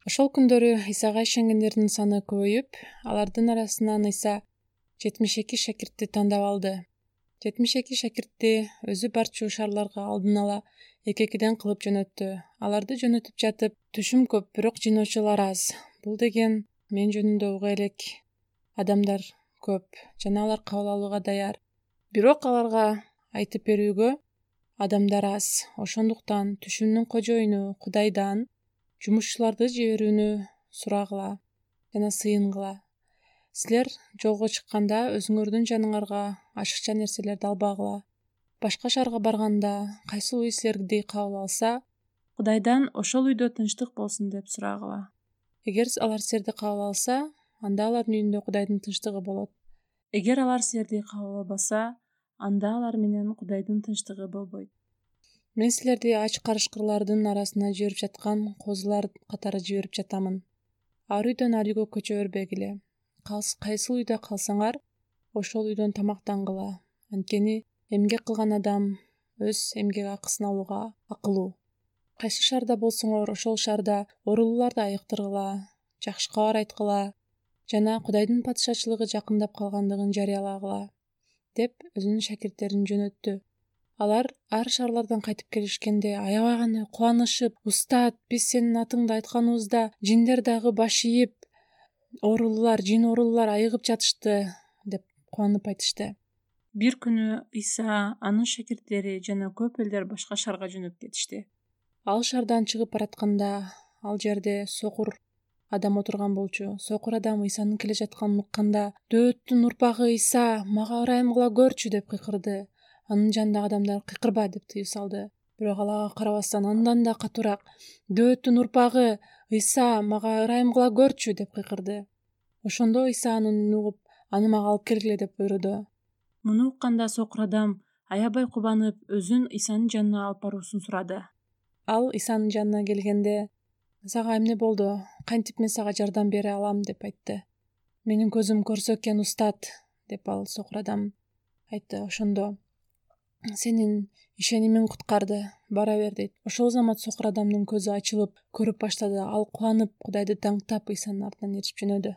Ошол күндөрү Исага ишенгендердин саны көбөйүп, алардын арасынан Иса 72 шакиртти тандап алды. 72 шакиртти өзү барчу шаарларга алдын ала эки-экиден кылып жөнөттү. Аларды жөнөтүп жатып, түшүм көп, бирок жыйноочулар аз. Бул деген мен жөнүндө уга элек адамдар көп жана алар кабыл алууга даяр. Бирок аларга айтып берүүгө адамдар аз. Ошондуктан түшүмдүн кожоюну Кудайдан жумушчуларды жиберүүнү сурагыла жана сыйынгыла. Силер жолго чыкканда өзүңөрдүн жаныңарга ашыкча нерселерди албагыла. Башка шаарга барганда кайсыл үй силерди кабыл алса, Кудайдан ошол үйдө тынчтык болсун деп сурагыла. Эгер алар силерди кабыл алса, анда алардын үйүндө Кудайдын тынчтыгы болот. Эгер алар силерди кабыл албаса, анда алар менен Кудайдын тынчтыгы болбойт. Мен силерди ач карышкырлардын арасына жиберип жаткан козулар катары жиберип жатамын. Ар үйдөн ар үйгө көчө бербегиле. Кайсыл үйдө калсаңар, ошол үйдөн тамактангыла. Анткени эмгек кылган адам өз эмгек акысын алууга акылуу. Кайсы шаарда болсоңор, ошол шаарда оорулууларды айыктыргыла, жакшы кабар айткыла жана Кудайдын падышачылыгы жакындап калгандыгын жарыялагыла деп өзүнүн шакирттерин жөнөттү. Алар ар шаарлардан кайтып келишкенде аябай гана кубанышып: "Устат, биз сенин атыңды айтканыбызда жиндер дагы баш ийип, жин оорулуулар айыгып жатышты" деп кубанып айтышты. Бир күнү Иса, анын шакирттери жана көп элдер башка шаарга жөнөп кетишти. Ал шаардан чыгып баратканда, ал жерде сокур адам отурган болчу. Сокур адам Исанын келе жатканын укканда: "Дөөттүн урпагы Иса, мага ырайым кыла көрчү" деп кыйкырды. Анын жанындагы адамдар "Кыйкырба" деп тыюу салды. Бирок ал ага карабастан андан да катуураак: "Дөөттүн урпагы Иса, мага ырайым кыла көрчү" деп кыйкырды. Ошондо Иса анын үнүн угуп: "Аны мага алып келгиле" деп буйруду. Муну укканда сокур адам аябай кубанып, өзүн Исанын жанына алып баруусун сурады. Ал Исанын жанына келгенде: "Сага эмне болду? Кантип мен сага жардам бере алам?" деп айтты. "Менин көзүм көрсө экен, устат" деп ал сокур адам айтты. Ошондо: "Сенин ишенимиң куткарды, бара бер" дейт. Ошол замат сокур адамдын көзү ачылып, көрүп баштады. Ал кубанып, Кудайды даңктап, Исанын артынан ээрчип жөнөдү.